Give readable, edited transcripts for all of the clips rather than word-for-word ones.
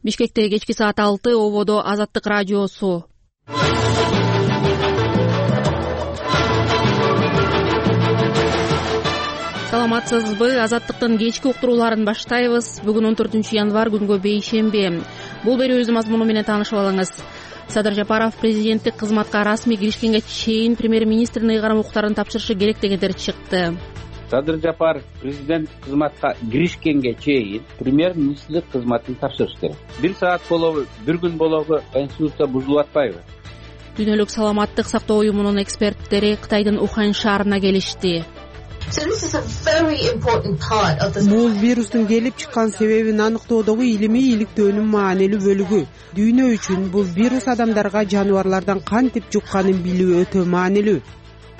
Бишкекте кечки саат 6 ободо Азаттык радиосу. Саламатсызбы? Азаттыктын кечки уктурууларын баштайбыз. Бүгүн 14 январь күнгө бейшемби. Бул берүүбүздүн мазмуну менен таанышып алыңыз. Садыр Жапаров президенттик кызматка расмий киришкенге чейин премьер-министрдин ыйгарым укуктарын тапшырышы керек дегендер чыкты. Садыр Жапаров президенттик кызматка киришкенге чейин премьер-министрлик кызматын тапшырыш керек. 1 саат болобу, 1 күн болобу конституция бузулуп атпайбы? Дүйнөлүк саламаттык сактоо уюмунун эксперттери Кытайдын Ухань шаарына келишти. Бул вирустун келип чыккан себебин аныктоодогу илимий иликтөөнүн маанилүү бөлүгү. Дүйнө үчүн бул вирус адамдарга жаныбарлардан кантип жукканын билүү өтө маанилүү.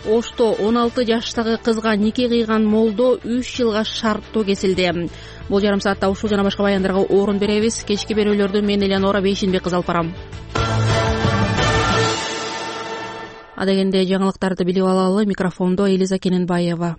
Ошто 16 жаштагы кызга нике кыйган молдо 3 жылга шарттоо кесилди. Бул жарым саатта ушул жана башка баяндарга орун беребиз. Кечки берүүлөрдү мен Элеонора Бейшенбек кыз алып барам. Адегенде жаңылыктарды билип алалы. Микрофондо Элиза Кененбаева.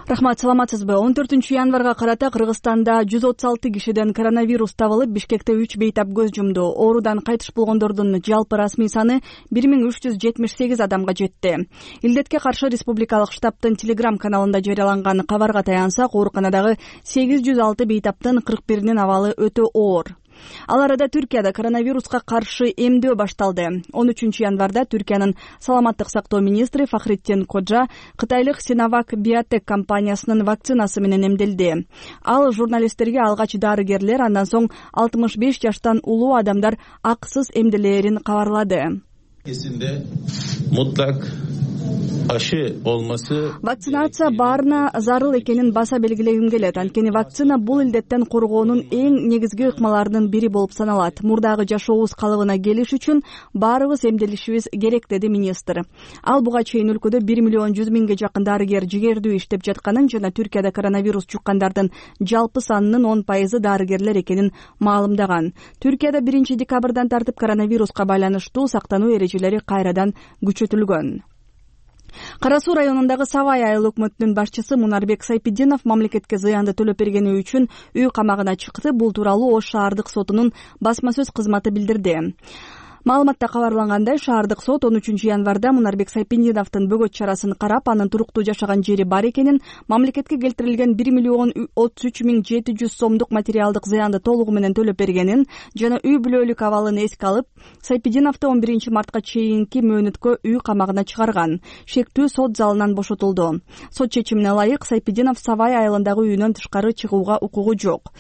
Рахмат, саламатсызбы? 14 январга карата Кыргызстанда 136 кишиден коронавирус табылып, Бишкекте 3 бейтап көз жумду. Оорудан кайтыш болгондордун жалпы расмий саны 1378 адамга жетти. Илдетке каршы республикалык штабтын Telegram каналында жарыяланган кабарга таянсак, ооруканадагы 806 бейтаптын 41-нин абалы өтө оор. Ал арада Түркияда коронавируска каршы эмдөө башталды. 13 январда Түркиянын саламаттык сактоо министри Фахриддин Коджа кытайлык Sinovac Biotech компаниясынын вакцинасы менен эмделди. Ал журналисттерге алгач дарыгерлер, андан соң 65 жаштан улуу адамдар акысыз эмделээрин кабарлады. Эсинде мутлак ашы болмасы вакцинация баарына зарыл экенин баса белгилегим келет. Анткени вакцина бул илдеттен коргоонун эң негизги ыкмаларынын бири болуп саналат. Мурдагы жашообуз калыбына келиш үчүн баарыбыз эмделишибиз керек, деди министр. Ал буга чейин өлкөдө 1 миллион 100 миңге жакын дарыгер жигердүү иштеп жатканын жана Түркияда коронавирус жуккандардын жалпы санынын 10% дарыгерлер экенин маалымдаган. Түркияда 1 декабрдан тартып коронавируска байланыштуу сактануу эрежелери кайрадан күчөтүлгөн. Кара Суу районундагы Савай айыл өкмөтүнүн башчысы Мунарбек Сайпидинов мамлекетке зыянды төлөп бергени үчүн үй камагына чыкты. Бул тууралуу Ош шаардык сотунун басма сөз кызматы билдирди. Маалыматта кабарлангандай, шаардык сот 13 январда Мунарбек Сайпидиновдун бөгөт чарасын карап, анын туруктуу жашаган жери бар экенин, мамлекетке келтирилген 1 миллион 33 миң 700 сомдук материалдык зыянды толугу менен төлөп бергенин жана үй бүлөлүк абалын эске алып, Сайпидиновду 11 мартка чейинки мөөнөткө үй камагына чыгарган. Шектүү сот залынан бошотулду. Сот чечимине ылайык Сайпидинов Савай айылындагы үйүнөн тышкары чыгууга укугу жок.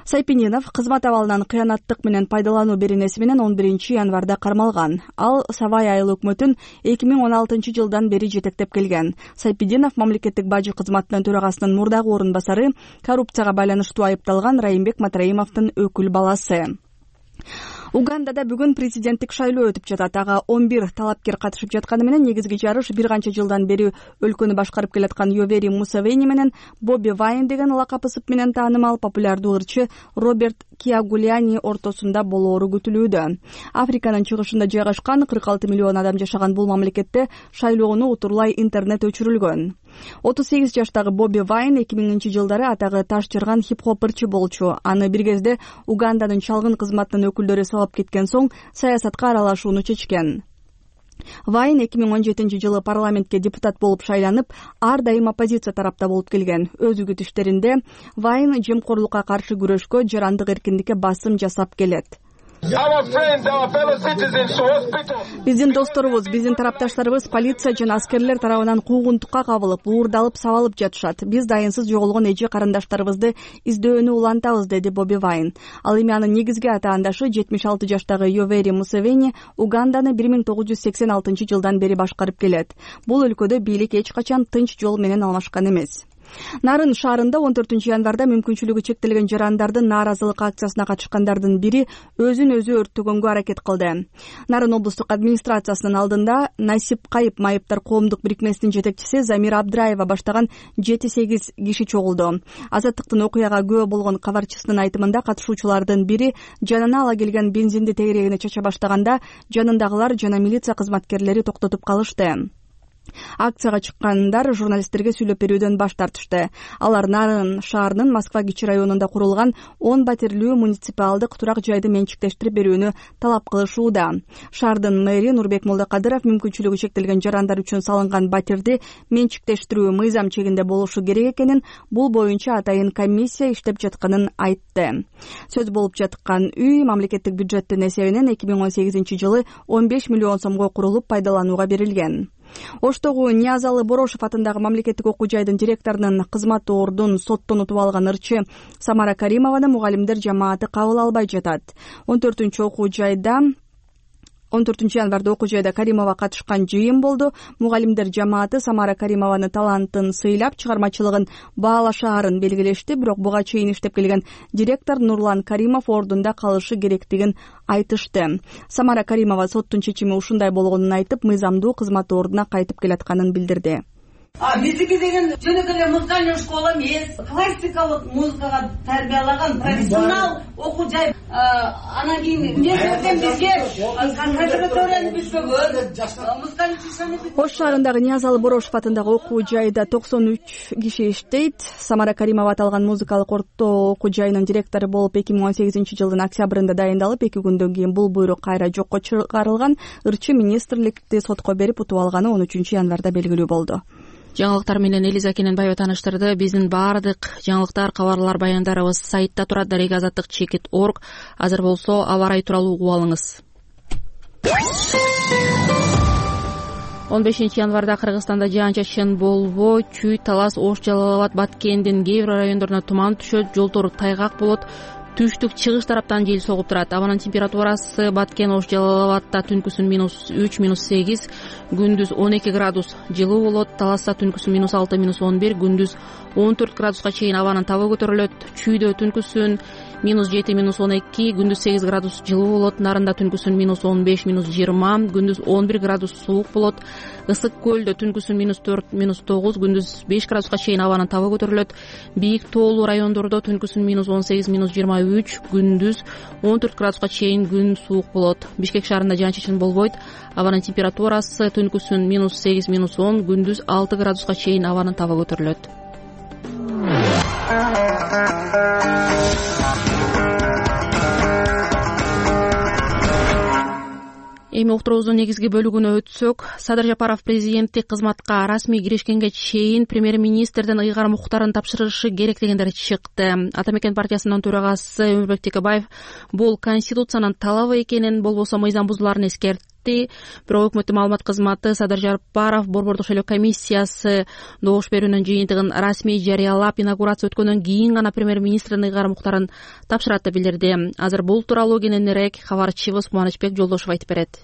Сайпидинов кызмат абалынан кыянаттык менен пайдалануу беренеси менен 11 январда кармалган. Ал Савай айыл өкмөтүн 2016 жылдан бери жетектеп келген. Сайпидинов мамлекеттик бажы кызматынын төрагасынын мурдагы орун басары, коррупцияга байланыштуу айыпталган Райымбек Матраимовдун өкүл баласы. Угандада бүгүн президенттик шайлоо өтүп жатат. Ага 11 талапкер катышып жатканы менен негизги жарыш бир канча жылдан бери өлкөнү башкарып келаткан Йовери Мусевени менен Боби Вайн деген лакап ысып менен таанымал популярдуу ырчы Роберт Киагулиани ортосунда болоору күтүлүүдө. Африканын чыгышында жайгашкан 46 миллион адам жашаган бул мамлекетте шайлоону утурлай интернет өчүрүлгөн. 38 жаштагы Боби Вайн 2000 жылдары атагы таш жарган хип-хоп ырчы болчу. Аны бир кезде Уганданын чалгын кызматынын өкүлдөрү салып кеткен соң саясатка аралашууну чечкен. Вайн 2017 жылы парламентке депутат болуп шайланып, ар дайым оппозиция тарапта болуп келген. Өз үгүтүштөрүндө Вайн жемкорлукка каршы күрөшкө, жарандык эркиндикке басым жасап келет. Биздин досторубуз, биздин тарапташтарыбыз полиция жана аскерлер тарабынан куугунтукка кабылып, уурдалып, сабалып жатышат. Биз дайынсыз жоголгон эже карындаштарыбызды издөөнү улантабыз, деди Боби Вайн. Ал эми анын негизги атаандашы 76 жаштагы Йовери Мусевени Уганданы 1986 жылдан бери башкарып келет. Бул өлкөдө бийлик эч качан тынч жол менен алмашкан эмес. Нарын шаарында 14 январда мүмкүнчүлүгү чектелген жарандардын нааразылык акциясына катышкандардын бири өзүн өзү өрттөгөнгө аракет кылды. Нарын облустук администрациясынын алдында Насип Кайып майыптар коомдук бирикмесинин жетекчиси Замира Абдраева баштаган 7-8 киши чогулду. Азаттыктын окуяга күбө болгон кабарчысынын айтымында катышуучулардын бири жанына ала келген бензинди тегерегине чача баштаганда жанындагылар жана милиция кызматкерлери токтотуп калышты. Акцияга чыккандар журналисттерге сүйлөп берүүдөн баш тартышты. Алар Нарын шаарынын Москва Кичи районунда курулган 10 батирлүү муниципалдык турак жайды менчиктештирип берүүнү талап кылышууда. Шаардын мэри Нурбек Молдокадыров мүмкүнчүлүгү чектелген жарандар үчүн салынган батирди менчиктештирүү мыйзам чегинде болушу керек экенин, бул боюнча атайын комиссия иштеп жатканын айтты. Сөз болуп жаткан үй мамлекеттик бюджеттин эсебинен 2018-жылы 15 миллион сомго курулуп пайдаланууга берилген. Оштогу Ниязалы Борошев атындагы мамлекеттик окуу жайдын директорунун кызмат ордун соттон утуп алган ырчы Самара Каримованы мугалимдер жамааты кабыл албай жатат. 14 январда окуу жайда Каримова катышкан жыйын болду. Мугалимдер жамааты Самара Каримованы талантын сыйлап, чыгармачылыгын баалашаарын белгилешти, бирок буга чейин иштеп келген директор Нурлан Каримов ордунда калышы керектигин айтышты. Самара Каримова соттун чечими ушундай болгонун айтып, мыйзамдуу кызмат ордуна кайтып келатканын билдирди. Биздики деген жөнөкөй эле музыкальный школа эмес, классикалык музыкага тарбиялаган профессионал окуу жай. Анан кийин университеттен бизге консерваторияны бүткөгөн, музыкальный училищени. Ош шаарындагы Ниязалы Борошев атындагы окуу жайда 93 киши иштейт. Самара Каримова аталган музыкалык орто окуу жайынын директору болуп 2018-жылдын октябрында дайындалып, 2 күндөн кийин бул буйрук кайра жокко чыгарылган. Ырчы министрликти сотко берип утуп алганы 13 январда белгилүү болду. Жаңылыктар менен Элиза Кененбаева тааныштырды. Биздин баардык жаңылыктар, кабарлар, баяндарыбыз сайтта турат. Дарек азаттык /org. Азыр болсо аба ырайы тууралуу угуп алыңыз. 15 январда Кыргызстанда жаан-чачын болбой, Чүй, Талас, Ош, Жалал Абад, Баткендин кээ бир райондоруна туман түшөт, жолдор тайгак болот. Түштүк чыгыш тараптан жел согуп турат. Абанын температурасы Баткен, Ош, Жалал Абадта түнкүсүн -3, -8, күндүз 12 градус жылуу болот. Таласта түнкүсүн -6, -11, күндүз 14 градуска чейин абанын табы көтөрүлөт. Чүйдө түнкүсүн -7, -12, күндүз 8 градус жылуу болот. Нарында түнкүсүн -15, -20, күндүз 11 градус суук болот. Ысык көлдө түнкүсүн -4, -9, күндүз 5 градуска чейин абанын табы көтөрүлөт. Бийик тоолуу райондордо түнкүсүн -18, -23, күндүз 14 градуска чейин күн суук болот. Бишкек шаарында жаан-чачын болбойт. Абанын температурасы түнкүсүн -8, -10, күндүз 6 градуска чейин абанын табы көтөрүлөт. Эми уктуруубуздун негизги бөлүгүнө өтсөк, Садыр Жапаров президенттик кызматка расмий киришкенге чейин премьер-министрдин ыйгар муктарын тапшырышы керек дегендер чыкты. Ата мекен партиясынын төрагасы Өмүрбек Текебаев бул конституциянын талабы экенин, болбосо мыйзам бузууларын эскертти. Бирок өкмөттүн маалымат кызматы Садыр Жапаров борбордук шайлоо комиссиясы добуш берүүнүн жыйынтыгын расмий жарыялап, инаугурация өткөндөн кийин гана премьер-министрдин ыйгар муктарын тапшырат деп билдирди. Азыр бул тууралуу кененирээк кабарчыбыз Кубанычбек Жолдошев айтып берет.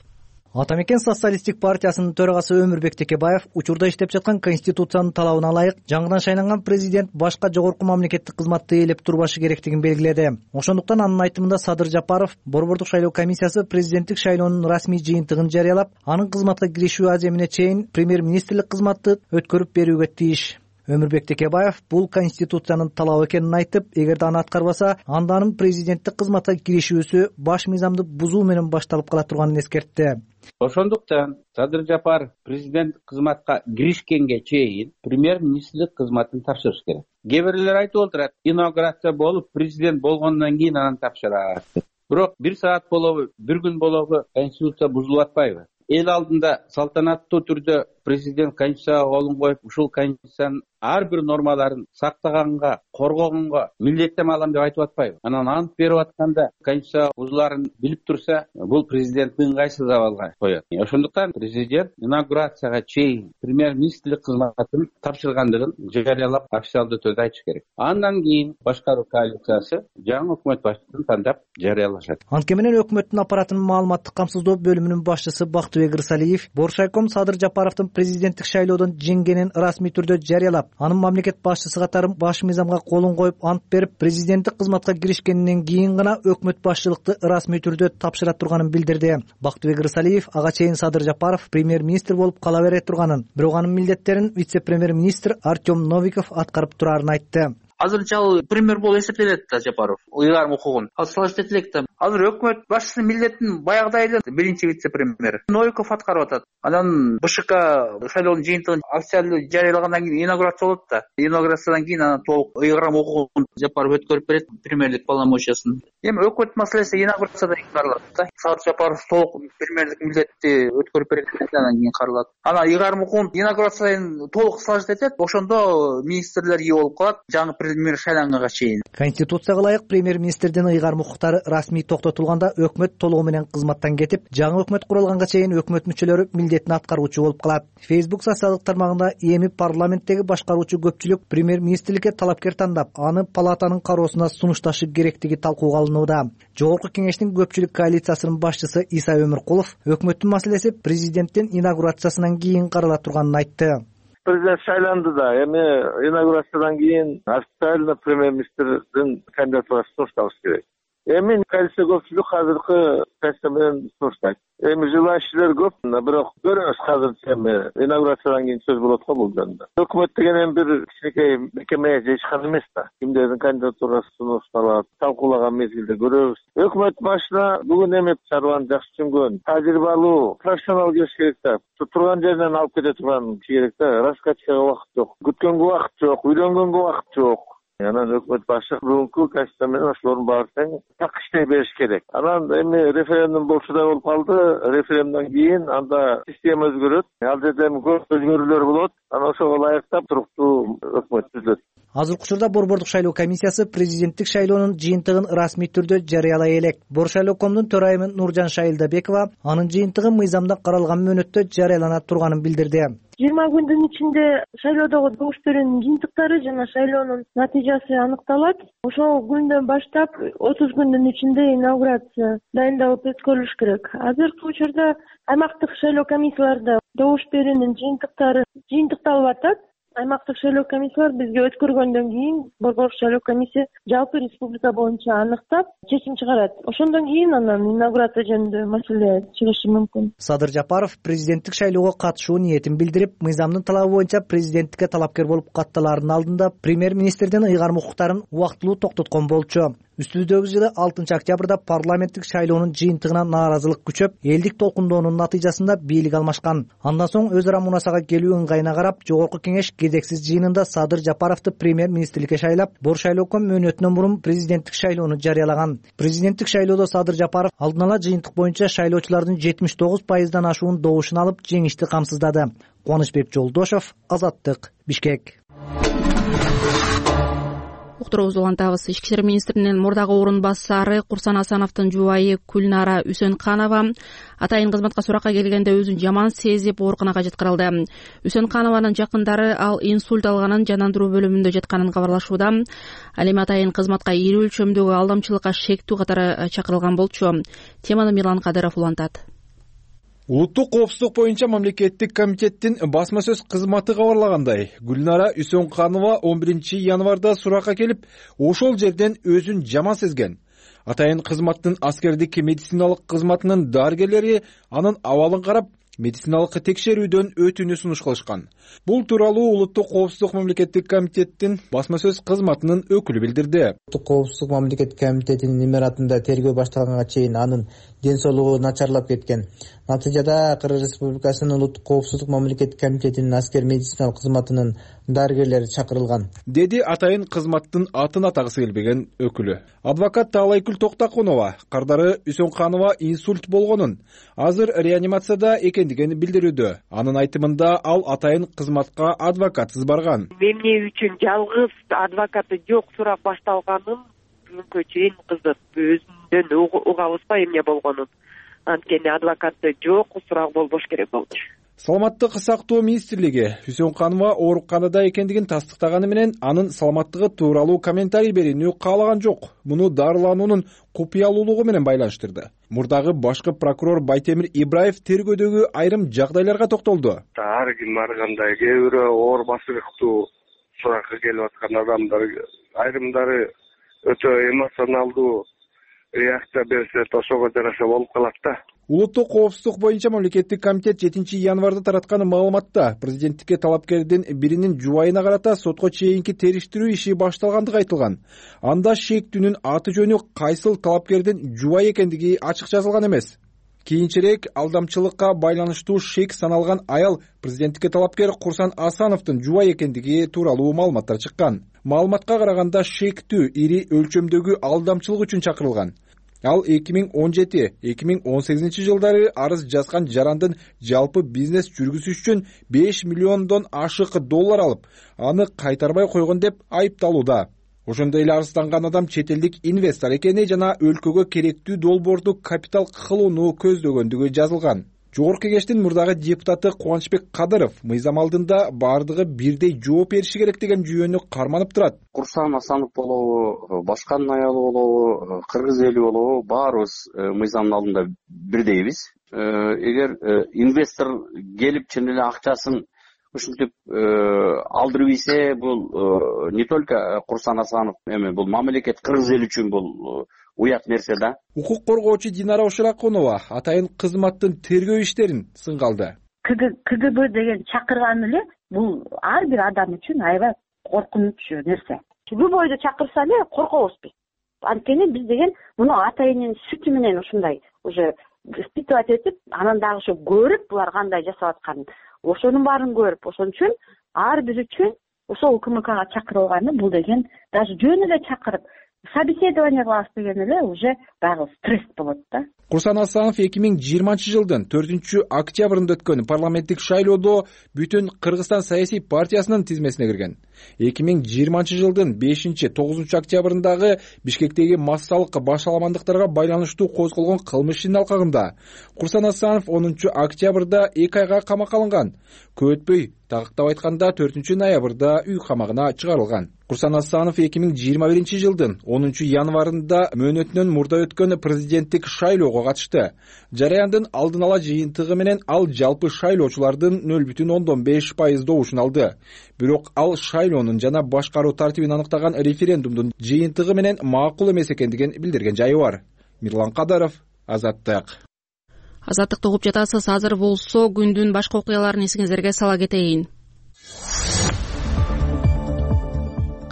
Ата мекен социалисттик партиясынын төрагасы Өмүрбек Текебаев учурда иштеп жаткан конституциянын талабына ылайык жаңыдан шайланган президент башка жогорку мамлекеттик кызматты ээлеп турбашы керектигин белгиледи. Ошондуктан анын айтымында Садыр Жапаров борбордук шайлоо комиссиясы президенттик шайлоонун расмий жыйынтыгын жарыялап, анын кызматка киришүү аземине чейин премьер-министрлик кызматты өткөрүп берүүгө тийиш. Өмүрбек Текебаев бул конституциянын талабы экенин айтып, эгерде аны аткарбаса, анда анын президенттик кызматка киришүүсү баш мыйзамды бузуу менен башталып кала турганын эскертти. Ошондуктан Садыр Жапаров президент кызматка киришкенге чейин премьер-министрлик кызматын тапшырыш керек. Кээ бирлер айтып отурат, инаугурация болуп, президент болгондон кийин анан тапшырат. Бирок 1 саат болобу, 1 күн болобу конституция бузулуп атпайбы? Эл алдында салтанаттуу түрдө президент конституцияга колун коюп, ушул конституциянын ар бир нормаларын сактаганга, коргогонго милдеттенме алам деп айтып атпайбы? Анан ант берип атканда конституция бузуларын билип турса, бул президенттин ыңгайсыз абалга коет. Ошондуктан президент инаугурацияга чейин премьер-министрлик кызматын тапшыргандыгын жарыялап, официалдуу түрдө айтыш керек. Андан кийин башкаруу коалициясы жаңы өкмөт башчысын тандап жарыялашат. Анткени менен өкмөттүн аппаратынын маалыматтык камсыздоо бөлүмүнүн башчысы Бактыбек Рысалиев Боршайком Садыр Жапаровдун президенттик шайлоодон жеңгенин расмий түрдө жарыялап, анын мамлекет башчысы катары баш мыйзамга колун коюп, ант берип, президенттик кызматка киришкенинен кийин гана өкмөт башчылыкты расмий түрдө тапшыра турганын билдирди. Бактыбек Рысалиев ага чейин Садыр Жапаров премьер-министр болуп кала бере турганын, бирок анын милдеттерин вице-премьер-министр Артем Новиков аткарып турарын айтты. азырынча ал премьер болуп эсептелет да Жапаров ыйгарым укугун ал салыштырып элек да. Азыр өкмөт башчысынын милдетин баягыдай эле биринчи вице-премьер Новиков аткарып атат. Анан БШК шайлоонун жыйынтыгын официалдуу жарыялагандан кийин инаугурация болот да. Инаугурациядан кийин анан толук ыйгарым укугун Жапаров өткөрүп берет премьерлик полномочиясын. Эми өкмөт маселеси инаугурацияда каралат да. Садыр Жапаров толук премьерлик милдетти өткөрүп берет андан кийин каралат. Анан ыйгарым укугун инаугурацияны толук салыштырып этет. Ошондо министрлер ие болуп калат жаңы премьер шайланганга чейин. Конституцияга ылайык премьер-министрдин ыйгарым укуктары расмий токтотулганда өкмөт толугу менен кызматтан кетип, жаңы өкмөт курулганга чейин өкмөт мүчөлөрү милдетин аткаруучу болуп калат. Facebook социалдык тармагында эми парламенттеги башкаруучу көпчүлүк премьер-министрликке талапкер тандап, аны палатанын кароосуна сунушташы керектиги талкууга алынууда. Жогорку кеңештин көпчүлүк коалициясынын башчысы Иса Өмүркулов өкмөттүн маселеси президенттин инаугурациясынан кийин карала турганын айтты. Президент шайланды да, эми инаугурациядан кийин официально премьер-министрдин кандидатурасы сунушталыш керек. Эми коалиция көпчүлүк азыркы позиция менен сунуштайт. Эми желающийлер көп, бирок көрөбүз азырча эми инаугурациядан кийин сөз болот го бул жөнүндө. Өкмөт деген эми бир кичинекей мекеме же ишкана эмес да. Кимдердин кандидатурасы сунушталат, талкуулаган мезгилде көрөбүз. Өкмөт башына бүгүн эми чарбаны жакшы түшүнгөн, тажрыйбалуу, профессионал келиш керек да. Турган жеринен алып кете турган киши керек да. Раскачкага убакыт жок, күткөнгө убакыт жок, үйлөнгөнгө убакыт жок. Анан өкмөт башы бүгүнкү конституция менен ошолордун баарын тең так иштей бериш керек. Анан эми референдум болчудай болуп калды. Референдумдан кийин анда система өзгөрөт. Ал жерде көп өзгөрүүлөр болот. Анан ошого ылайыктап туруктуу өкмөт түзүлөт. Азыркы учурда Борбордук шайлоо комиссиясы президенттик шайлоонун жыйынтыгын расмий түрдө жарыялай элек. Боршайлоокомдун төрайымы Нуржан Шайылдабекова анын жыйынтыгы мыйзамда каралган мөөнөттө жарыялана турганын билдирди. 20 күндүн ичинде шайлоодогу добуш берүүнүн жыйынтыктары жана шайлоонун натыйжасы аныкталат. Ошол күндөн баштап 30 күндүн ичинде инаугурация дайындалып өткөрүлүш керек. Азыркы учурда аймактык шайлоо комиссияларында добуш берүүнүн жыйынтыктары жыйынтыкталып атат. Аймактык шайлоо комиссиялар бизге өткөргөндөн кийин Борбордук шайлоо комиссия жалпы республика боюнча аныктап чечим чыгарат. Ошондон кийин анан инаугурация жөнүндө маселе чыгышы мүмкүн. Садыр Жапаров президенттик шайлоого катышуу ниетин билдирип, мыйзамдын талабы боюнча президенттикке талапкер болуп катталаардын алдында премьер-министрдин ыйгарым укуктарын убактылуу токтоткон болчу. Үстүбүздөгү жылы 6 октябрда парламенттик шайлоонун жыйынтыгына нааразылык күчөп, элдик толкундоонун натыйжасында бийлик алмашкан. Андан соң өз ара мунасага келүү ыңгайына карап, жогорку кеңеш кезексиз жыйынында Садыр Жапаровду премьер-министрликке шайлап, Боршайлооком мөөнөтүнөн мурун президенттик шайлоону жарыялаган. Президенттик шайлоодо Садыр Жапаров алдын ала жыйынтык боюнча шайлоочулардын 79% ашуун добушун алып, жеңишти камсыздады. Кубанычбек Жолдошов, Азаттык, Бишкек. Уктуруубузду улантабыз. Ички иштер министринин мурдагы орун басары Курсан Асановдун жубайы Күлнара Үсөнканова атайын кызматка суракка келгенде өзүн жаман сезип ооруканага жеткирилди. Үсөнканованын жакындары ал инсульт алганын, жандандыруу бөлүмүндө жатканын кабарлашууда. Ал эми атайын кызматка ири өлчөмдөгү алдамчылыкка шектүү катары чакырылган болчу. Теманы Мирлан Кадыров улантат. Улуттук коопсуздук боюнча мамлекеттик комитеттин басма сөз кызматы кабарлагандай, Гүлнара Үсөнканова 11 январда суракка келип, ошол жерден өзүн жаман сезген. Атайын кызматтын аскердик медициналык кызматынын дарыгерлери анын абалын карап, медициналык текшерүүдөн өтүүнү сунуш кылышкан. Бул тууралуу Улуттук коопсуздук мамлекеттик комитеттин басма сөз кызматынын өкүлү билдирди. Улуттук коопсуздук мамлекеттик комитетинин имаратында тергөө башталганга чейин анын ден соолугу начарлап кеткен. Натыйжада Кыргыз Республикасынын Улуттук коопсуздук мамлекеттик комитетинин аскер медициналык кызматынын дарыгерлери чакырылган, деди атайын кызматтын атын атагысы келбеген өкүлү. Адвокат Таалайкүл Токтакунова кардары Үсөнканова инсульт болгонун, азыр реанимацияда экендигин билдирүүдө. Анын айтымында ал атайын кызматка адвокатсыз барган. Эмне үчүн жалгыз адвокаты жок сурак башталганын бүгүнкү чейин кызык. Өзүндөн угабызбы эмне болгонун. Анткени адвокаты жок, сурак болбош керек болчу. Саламаттык сактоо министрлиги Үсөнканова ооруканада экендигин тастыктаганы менен анын саламаттыгы тууралуу комментарий берүүнү каалаган жок. Муну дарылануунун купуялуулугу менен байланыштырды. Мурдагы башкы прокурор Байтемир Ибраев тергөөдөгү айрым жагдайларга токтолду. Ар ким ар кандай, кээ бирөө оор басылыктуу суракка келип аткан адамдар, айрымдары өтө эмоционалдуу реакция берсе, ошого жараша болуп калат да. Улуттук коопсуздук боюнча мамлекеттик комитет 7 январда тараткан маалыматта президенттикке талапкердин биринин жубайына карата сотко чейинки териштирүү иши башталгандыгы айтылган. Анда шектүүнүн аты жөнү кайсыл талапкердин жубайы экендиги ачык жазылган эмес. Кийинчерээк алдамчылыкка байланыштуу шек саналган аял президенттикке талапкер Курсан Асановдун жубайы экендиги тууралуу маалыматтар чыккан. Маалыматка караганда шектүү ири өлчөмдөгү алдамчылык үчүн чакырылган. Ал 2017-2018 жылдары арыз жазган жарандын жалпы бизнес жүргүзүш үчүн 5 миллиондон ашык доллар алып, аны кайтарбай койгон деп айыпталууда. Ошондой эле арызданган адам чет элдик инвестор экени жана өлкөгө керектүү долбоорду капитал кылууну көздөгөндүгү жазылган. Жогорку кеңештин мурдагы депутаты Кубанычбек Кадыров мыйзам алдында бардыгы бирдей жооп бериши керек деген жүйөнү карманып турат. Курсан Асанов болобу, башканын аялы болобу, кыргыз эли болобу, баарыбыз мыйзамдын алдында бирдейбиз. Эгер инвестор келип чын эле акчасын ушинтип алдырып ийсе, бул не только Курсан Асанов, бул мамлекет, кыргыз эли үчүн бул уят нерсе да. Укук коргоочу Динара Ошоракунова атайын кызматтын тергөө иштерин сынга алды. КГБ деген чакырган эле бул ар бир адам үчүн аябай коркунучу нерсе. Любойду чакырса эле коркобуз биз. Анткени биз деген муну атайынын сүтү менен ушундай уже испытывать этип, анан дагы ошо көрүп булар кандай жасап атканын, ошонун баарын көрүп, ошон үчүн ар бир үчүн ошол УКМКга чакырылганы бул деген даже жөн эле чакырып собеседование кылабыз деген эле уже дагы стресс болот да. Курсан Асанов 2020 жылдын 4-октябрында өткөн парламенттик шайлоодо бүтүн Кыргызстан саясий партиясынын тизмесине кирген. 2020 жылдын 5-9 октябрындагы Бишкектеги массалык башаламандыктарга байланыштуу козголгон кылмыш ишинин алкагында Курсан Асанов 10 октябрда 2 айга камакка алынган. Көп өтпөй, тагыктап айтканда 4 ноябрда үй камагына чыгарылган. Курсан Асанов 2021 жылдын 10 январында мөөнөтүнөн мурда өткөн президенттик шайлоого катышты. Жараяндын алдын ала жыйынтыгы менен ал жалпы шайлоочулардын 0,5% добушун алды. Бирок ал шайлоонун жана башкаруу тартибин аныктаган референдумдун жыйынтыгы менен макул эмес экендигин билдирген жайы бар. Мирлан Кадаров, Азаттык. Азаттыкты угуп жатасыз. Азыр болсо күндүн башка окуяларын эсиңиздерге сала кетейин.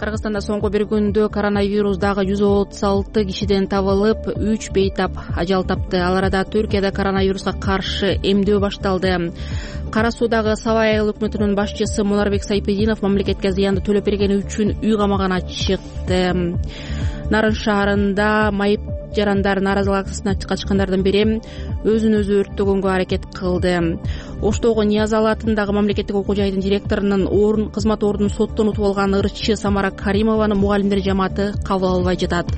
Кыргызстанда соңку бир күндө коронавирус дагы 136 кишиден табылып, 3 бейтап ажал тапты. Ал арада Түркияда коронавируска каршы эмдөө башталды. Кара Суудагы Сабай айыл өкмөтүнүн башчысы Мунарбек Сайпединов мамлекетке зыянды төлөп бергени үчүн үй камагына чыкты. Нарын шаарында майып жарандар нааразылык акциясына катышкандардын бири өзүн өзү өрттөгөнгө аракет кылды. Оштогу Ниязалы атындагы мамлекеттик окуу жайдын директорунун кызмат ордун соттон утуп алган ырчы Самара Каримованы мугалимдер жамааты кабыл албай жатат.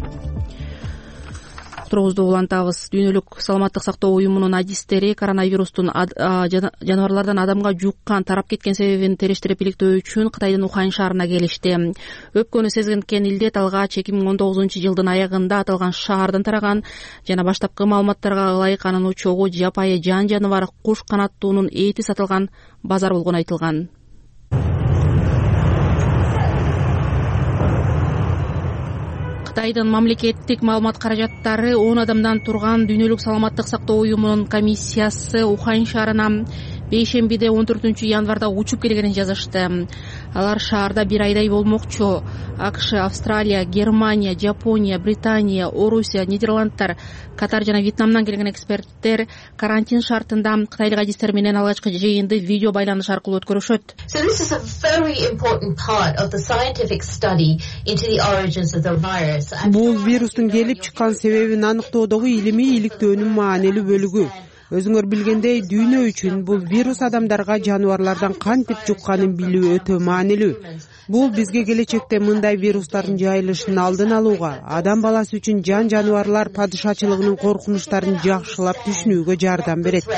Турубузду улантабыз. Дүйнөлүк саламаттык сактоо уюмунун адистери коронавирустун жаныбарлардан адамга жуккан, тарап кеткен себебин териштирип иликтөө үчүн Кытайдын Ухань шаарына келишти. Өпкөнү сезген илдет алгач 2019 жылдын аягында аталган шаардан тараган жана баштапкы маалыматтарга ылайык анын учогу жапайы жан жаныбар куш канаттуунун эти сатылган базар болгону айтылган. Кытайдын мамлекеттик маалымат каражаттары 10 адамдан турган Дүйнөлүк саламаттык сактоо уюмунун комиссиясы Ухань шаарына бейшембиде 14 январда учуп келгенин жазышты. Алар шаарда бир айдай болмокчу. АКШ, Австралия, Германия, Жапония, Британия, Орусия, Нидерландтар, Катар жана Вьетнамдан келген эксперттер карантин шартында кытайлык адистер менен алгачкы жыйынды видео байланыш аркылуу өткөрүшөт. Бул вирустун келип чыккан себебин аныктоодогу илимий иликтөөнүн маанилүү бөлүгү. Өзүңөр билгендей, дүйнө үчүн бул вирус адамдарга жаныбарлардан кантип жукканын билүү өтө маанилүү. Бул бизге келечекте мындай вирустардын жайылышын алдын алууга, адам баласы үчүн жан жаныбарлар падышачылыгынын коркунучтарын жакшылап түшүнүүгө жардам берет.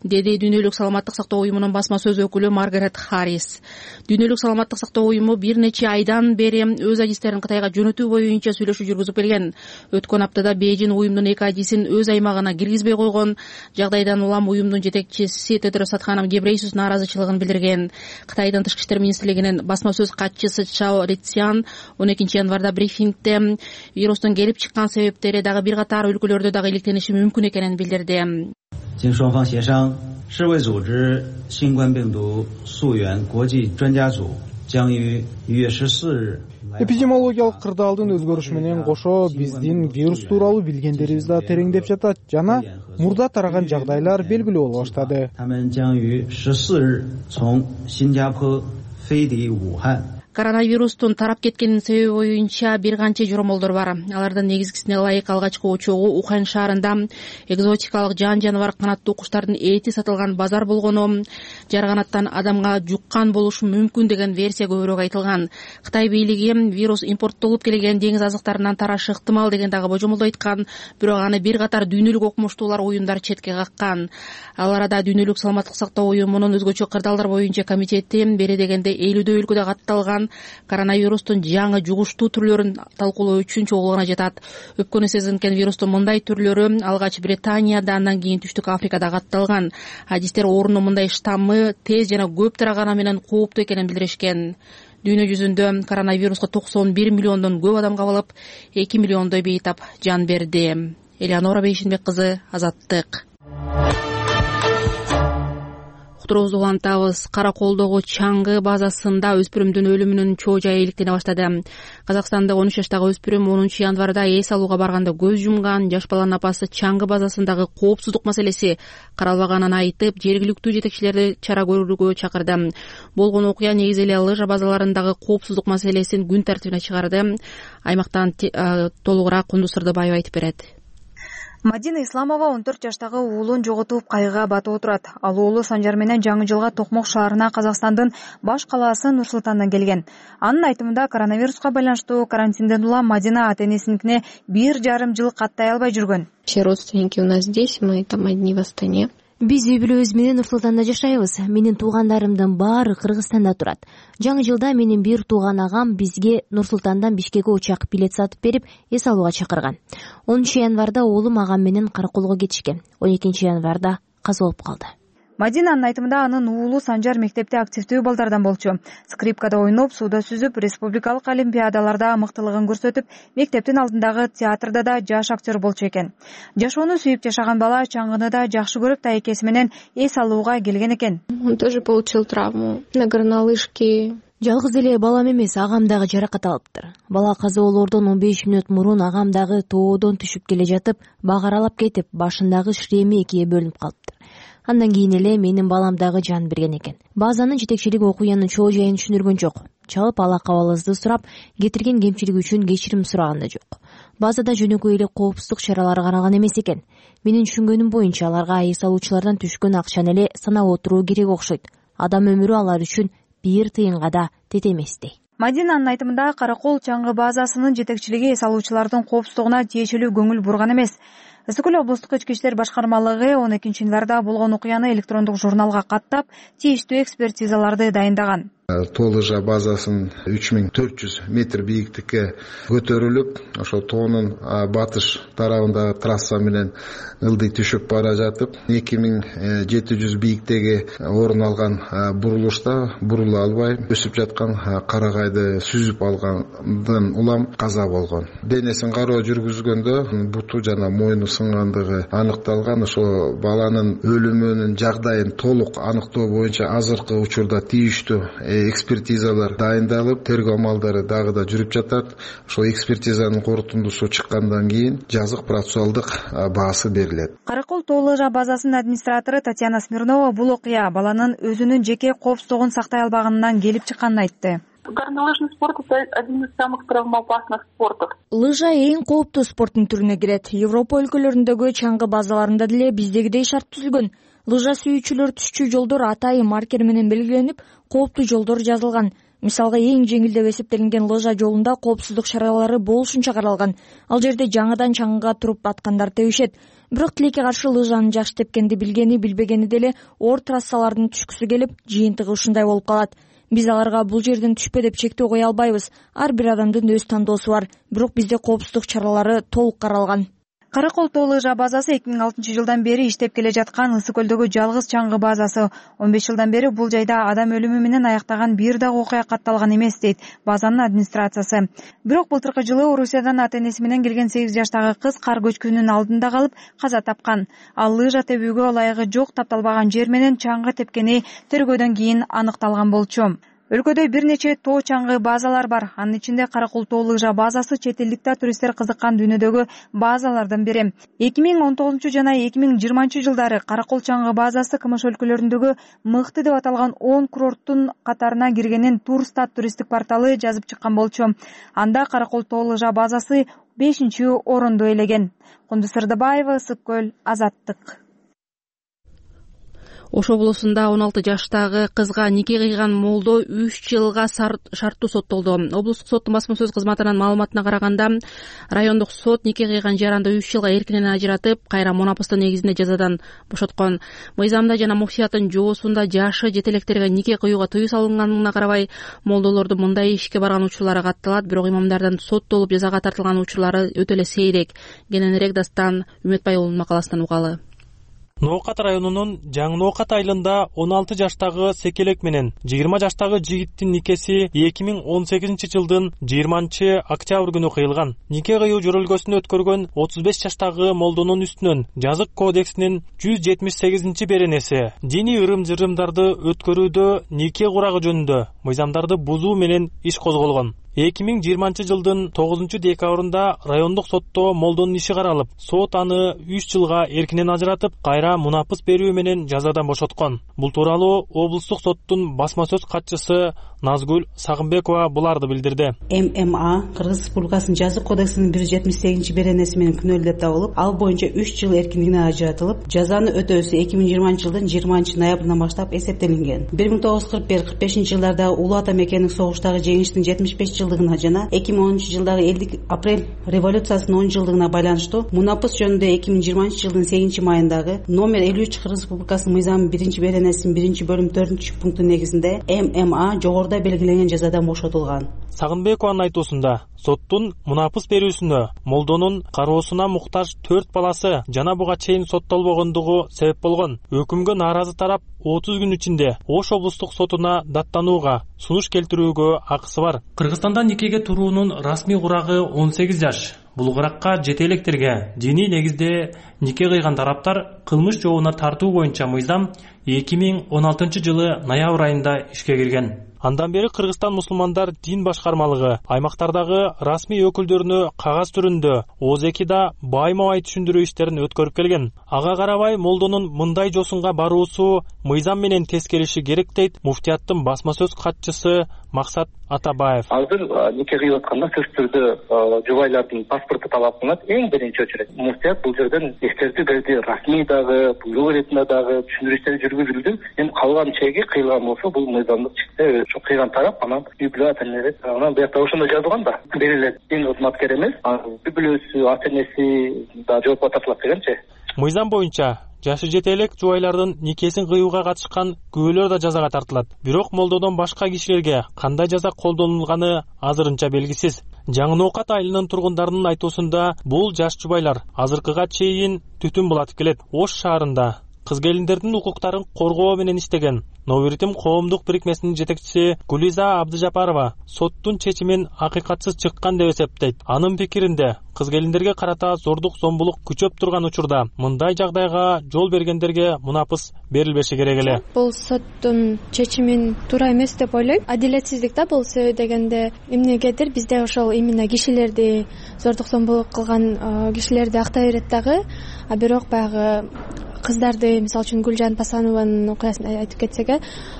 Деди Дүйнөлүк саламаттык сактоо уюмунун басма сөз өкүлү Маргарет Харрис. Дүйнөлүк саламаттык сактоо уюму бир нече айдан бери өз адистерин Кытайга жөнөтүү боюнча сүйлөшүү жүргүзүп келген. Өткөн аптада Бейжин уюмдун 2 адисин өз аймагына киргизбей койгон. Жагдайдан улам уюмдун жетекчиси Тедрос Адханом Гебрейесус миссис нааразычылыгын билдирген. Кытайдын тышкы иштер министрлигинин басма сөз катчысы Чао Лицян 12 январда брифингде вирустун келип чыккан себептери дагы бир катар өлкөлөрдө дагы иликтениши мүмкүн экенин билдирди. 经双方协商，世卫组织新冠病毒溯源国际专家组将于1月14日 Эпидемиологиялык кырдаалдын өзгөрүшү менен кошо биздин вирус тууралуу билгендерибиз да тереңдеп жатат жана мурда тараган жагдайлар белгилүү боло баштады. 他们将于14日从新加坡飞抵武汉。 Коронавирустун тарап кеткенин себеби боюнча бир канча жоромолдор бар. Алардын негизгисине ылайык алгачкы очогу Ухань шаарында экзотикалык жан-жаныбар канаттуу куштардын эти сатылган базар болгону, жарганаттан адамга жуккан болушу мүмкүн деген версия көбүрөөк айтылган. Кытай бийлиги вирус импорттолуп келген деңиз азыктарынан тарашы ыктымал деген дагы божомолду айткан, бирок аны бир катар дүйнөлүк окумуштуулар уюмдар четке каккан. Ал арада Дүйнөлүк саламаттык сактоо уюмунун өзгөчө кырдаалдар боюнча комитети бери дегенде 50 өлкөдө катталган коронавирустун жаңы жугуштуу түрлөрүн талкуулоо үчүн чогулгана жатат. Өпкөнү сезинкен вирустун мындай түрлөрү алгач Британияда, андан кийин Түштүк Африкада катталган. Адистер оорунун мындай штаммы тез жана көп тараганы менен кооптуу экенин билдиришкен. Дүйнө жүзүндө коронавируска 91 миллиондон көп адам кабылып, 2 миллиондой бейтап жан берди. Элеонора Бейшенбек кызы, Азаттык. Уктуруубузду улантабыз. Караколдогу чаңгы базасында өспүрүмдүн өлүмүнүн чоо жайы иликтене баштады. Казакстандык 13 жаштагы өспүрүм 10 январда эс алууга барганда көз жумган. Жаш баланын апасы чаңгы базасындагы коопсуздук маселеси каралбаганын айтып, жергиликтүү жетекчилерди чара көрүүгө чакырды. Болгон окуя негизи эле лыжа базаларындагы коопсуздук маселесин күн тартибине чыгарды. Аймактан толугураак Кундуз Сырдыбаева айтып берет. Мадина Исламова 14 жаштагы уулун жоготуп кайгыга батып отурат. Ал уулу Санжар менен жаңы жылга Токмок шаарына Казакстандын баш калаасы Нур-Султандан келген. Анын айтымында коронавируска байланыштуу карантинден улам Мадина ата-энесиникине 1,5 жыл каттай албай жүргөн. Все родственники у нас здесь, мы там одни в Астане. Биз үй бүлөбүз менен Нур-Султанда жашайбыз. Менин туугандарымдын баары Кыргызстанда турат. Жаңы жылда менин бир тууган агам бизге Нур-Султандан Бишкекке учак билет сатып берип, эс алууга чакырган. 10 январда уулум агам менен Караколго кетишкен. 12 январда каза болуп калды. Мадинанын айтымында анын уулу Санжар мектепте активдүү балдардан болчу. Скрипкада ойноп, сууда сүзүп, республикалык олимпиадаларда мыктылыгын көрсөтүп, мектептин алдындагы театрда да жаш актер болчу экен. Жашоону сүйүп жашаган бала чаңгыны да жакшы көрүп, тайкеси менен эс алууга келген экен. Он тоже получил травму на горнолыжке. Жалгыз эле балам эмес, агам дагы жаракат алыптыр. Бала каза болоордон 15 мүнөт мурун агам дагы тоодон түшүп келе жатып, бак аралап кетип, башындагы шлеми экиге бөлүнүп калыптыр. Андан кийин эле менин балам дагы жан берген экен. Базанын жетекчилиги окуянын чоо жайын түшүндүргөн жок. Чалып ала кабалыбызды сурап, кетирген кемчилик үчүн кечирим сураган да жок. Базада жөнөкөй эле коопсуздук чаралары каралган эмес экен. Менин түшүнгөнүм боюнча аларга эс алуучулардан түшкөн акчаны эле санап отуруу керек окшойт. Адам өмүрү алар үчүн 1 тыйынга да тете эместей. Мадинанын айтымында Каракол чаңгы базасынын жетекчилиги эс алуучулардын коопсуздугуна тиешелүү көңүл бурган эмес. Ысык көл облустук ички иштер башкармалыгы 12 январда болгон окуяны электрондук журналга каттап, тийиштүү экспертизаларды дайындаган. Тоо лыжа базасын 3400 метр бийиктикке көтөрүлүп, ошо тоонун батыш тарабындагы трасса менен ылдый түшүп бара жатып, 2700 бийиктеги орун алган бурулушта бурула албай өсүп жаткан карагайды сүзүп алгандан улам каза болгон. Денесин кароо жүргүзгөндө буту жана мойну сынгандыгы аныкталган. Ошо баланын өлүмүнүн жагдайын толук аныктоо боюнча азыркы учурда тийиштүү экспертизалар дайындалып, тергөө амалдары дагы да жүрүп жатат. Ошол экспертизанын корутундусу чыккандан кийин жазык процессуалдык баасы берилет. Каракол тоо лыжа базасынын администратору Татьяна Смирнова бул окуя баланын өзүнүн жеке коопсуздугун сактай албаганынан келип чыкканын айтты. Горнолыжный спорт — это один из самых травмоопасных спортов. Лыжа эң кооптуу спорттун түрүнө кирет. Европа өлкөлөрүндөгү чаңгы базаларында деле биздегидей шарт түзүлгөн. Лыжа сүйүүчүлөр түшчү жолдор атайын маркер менен белгиленип, кооптуу жолдор жазылган. Мисалга эң жеңил деп эсептелинген лыжа жолунда коопсуздук чаралары болушунча каралган. Ал жерде жаңыдан чаңгыга туруп аткандар тебишет. Бирок тилекке каршы лыжаны жакшы тепкенди билгени билбегени деле оор трассалардын түшкүсү келип, жыйынтыгы ушундай болуп калат. Биз аларга бул жерден түшпө деп чектөө кое албайбыз. Ар бир адамдын өз тандоосу бар. Бирок бизде коопсуздук чаралары толук каралган. Каракол тоо лыжа базасы 2006-жылдан бери иштеп келе жаткан Ысык көлдөгү жалгыз чаңгы базасы. 15 жылдан бери бул жайда адам өлүмү менен аяктаган бир дагы окуя катталган эмес, дейт базанын администрациясы. Бирок былтыркы жылы Орусиядан ата-энеси менен келген 8 жаштагы кыз кар көчкүнүнүн алдында калып каза тапкан. Ал лыжа тебүүгө ылайыгы жок тапталбаган жер менен чаңгы тепкени тергөөдөн кийин аныкталган болчу. Өлкөдө бир нече тоо чаңгы базалар бар. Анын ичинде Каракол тоо лыжа базасы чет элдик туристтер кызыккан дүйнөдөгү базалардын бири. 2019 жана 2020 жылдары Каракол чаңгы базасы КМШ өлкөлөрүндөгү мыкты деп аталган 10 курорттун катарына киргенин Турстат туристтик порталы жазып чыккан болчу. Анда Каракол тоо лыжа базасы 5-орунду ээлеген. Кундуз Сырдыбаева, Ысык көл, Азаттык. Ош облусунда 16 жаштагы кызга нике кыйган молдо 3 жылга шарттуу соттолду. Облустук соттун басма сөз кызматынын маалыматына караганда, райондук сот нике кыйган жаранды 3 жылга эркинен ажыратып, кайра мунапыстын негизинде жазадан бошоткон. Мыйзамда жана муфтиятын жоосунда жашы жетелектерге нике кыюуга тыюу салынганына карабай, молдолордун мындай ишке барган учурлары катталат, бирок имамдардын соттолуп жазага тартылган учурлары өтө эле сейрек. Кененирээк дастан Үмөтбай уулунун макаласынан угалы. Ноокат районунун Жаңы Ноокат айылында 16 жаштагы секелек менен 20 жаштагы жигиттин никеси 2018 жылдын 20 октябрь күнү кыйылган. Нике кыюу жөрөлгөсүн өткөргөн 35 жаштагы молдонун үстүнөн Жазык кодексинин 178 беренеси диний ырым-жырымдарды өткөрүүдө нике курагы жөнүндө мыйзамдарды бузуу менен иш козголгон. 2020 жылдын 9 декабрында райондук сотто молдонун иши каралып, сот аны 3 жылга эркинен ажыратып, кайра мунапыс берүү менен жазадан бошоткон. Бул тууралуу облустук соттун басма сөз катчысы Назгүл Сагынбекова буларды билдирди. ММА Кыргыз Республикасынын Жазык кодексинин 178 беренеси менен күнөөлүү деп табылып, ал боюнча 3 жыл эркиндигинен ажыратылып, жазаны өтөөсү 2020 жылдын 20 ноябрынан баштап эсептелинген. 1941-45 жылдарда Улуу Ата Мекенин согуштагы жеңиштин 75 жылдыгына жана 2010 жылдагы элдик апрель революциясынын 10 жылдыгына байланыштуу мунапыс жөнүндө 2020 жылдын 8 майындагы номер 53 Кыргыз Республикасынын мыйзамынын 1 беренесинин 1 бөлүм 4 пункту негизинде ММА жогоруда белгиленген жазадан бошотулган. Сагынбекованын айтуусунда, соттун мунапыс берүүсүнө молдонун кароосуна муктаж 4 баласы жана буга чейин соттолбогондугу себеп болгон. Өкүмгө нааразы тарап 30 күн ичинде Ош облустук сотуна даттанууга, сунуш келтирүүгө акысы бар. Кыргызстанда никеге туруунун расмий курагы 18 жаш. Бул куракка жетелектерге диний негизде нике кыйган тараптар кылмыш жообуна тартуу боюнча мыйзам 2016 жылы ноябрь айында ишке кирген. Андан бери Кыргызстан мусулмандар дин башкармалыгы аймактардагы расмий өкүлдөрүнө кагаз түрүндө ОЗЭКда байма-бай түшүндүрүү иштерин өткөрүп келген. Ага карабай молдонун мындай жосунга баруусу мыйзам менен тез келиши керек, дейт муфтияттын басма сөз катчысы Максат Атабаев. Азыр нике кыйып атканда сөзсүз түрдө жубайлардын паспорту талап кылынат. Эң биринчи очередь муфтият бул жерден эскертүү берди. Расмий дагы, буйрук иретинде дагы түшүндүрүү иштери жүргүзүлдү. Эми калган чеги кыйылган болсо бул мыйзамдык чекте кыйган тарап анан үй-бүлө ата-энелер анан буякта ошондо жазылган да. Берилет. Эң кызматкер эмес, үй-бүлөсү, ата-энеси да жоопко тартылат дегенчи. Мыйзам боюнча жашы жетелек жубайлардын никесин кыюуга катышкан күбөлөр да жазага тартылат. Бирок молдодон башка кишилерге кандай жаза колдонулганы азырынча белгисиз. Жаңы Ноокат айылынын тургундарынын айтуусунда бул жаш жубайлар азыркыга чейин түтүн булатып келет. Ош шаарында кыз-келиндердин укуктарын коргоо менен иштеген Новиритим коомдук бирикмесинин жетекчиси Гулиза Абдыжапарова соттун чечимин акыйкатсыз чыккан деп эсептейт. Анын пикиринде кыз-келиндерге карата зордук зомбулук күчөп турган учурда мындай жагдайга жол бергендерге мунапыс берилбеши керек эле. Бул соттун чечимин туура эмес деп ойлойм. Адилетсиздик да бул, себеби дегенде эмнегедир бизде ошол именно кишилерди зордук зомбулук кылган кишилерди актай берет дагы. А бирок баягы кыздарды, мисалы үчүн Гүлжан Пасанованын окуясын айтып кетсек,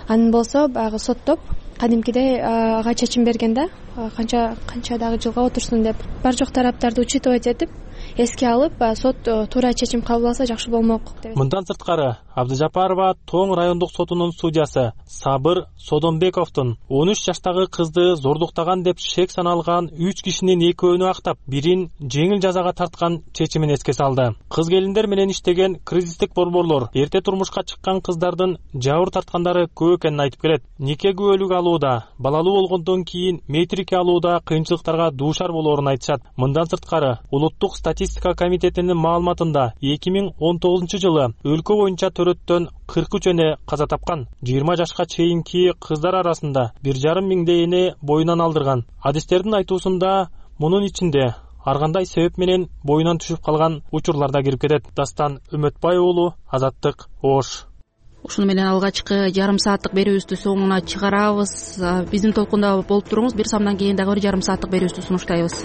анын болсо баягы соттоп кадимкидей ага чечим берген да, канча дагы жылга отурсун деп. Бар жок тараптарды учитывать этип, эске алып, сот туура чечим кабыл алса жакшы болмок деп. Мындан сырткары Абдыжапарова Тоң райондук сотунун судьясы Сабыр Содонбековдун 13 жаштагы кызды зордуктаган деп шек саналган 3 кишинин экөөнү актап, бирин жеңил жазага тарткан чечимин эске салды. Кыз-келиндер менен иштеген кризистик борборлор эрте турмушка чыккан кыздардын жабыр тарткандары көп экенин айтып келет. Нике күбөлүк алууда, балалуу болгондон кийин метрики алууда кыйынчылыктарга дуушар болоорун айтышат. Мындан сырткары улуттук статистика комитетинин маалыматында 2019-жылы өлкө боюнча төрөттөн 43 эне каза тапкан. 20 жашка чейинки кыздар арасында 1,5 миңдей эне боюнан алдырган. Адистердин айтуусунда мунун ичинде ар кандай себеп менен боюнан түшүп калган учурлар да кирип кетет. Дастан Үмөтбай уулу, Азаттык, Ош. Ушуну менен алгачкы жарым сааттык берүүбүздү соңуна чыгарабыз. Биздин толкунда болуп туруңуз. Бир самдан кийин дагы бир жарым сааттык берүүбүздү сунуштайбыз.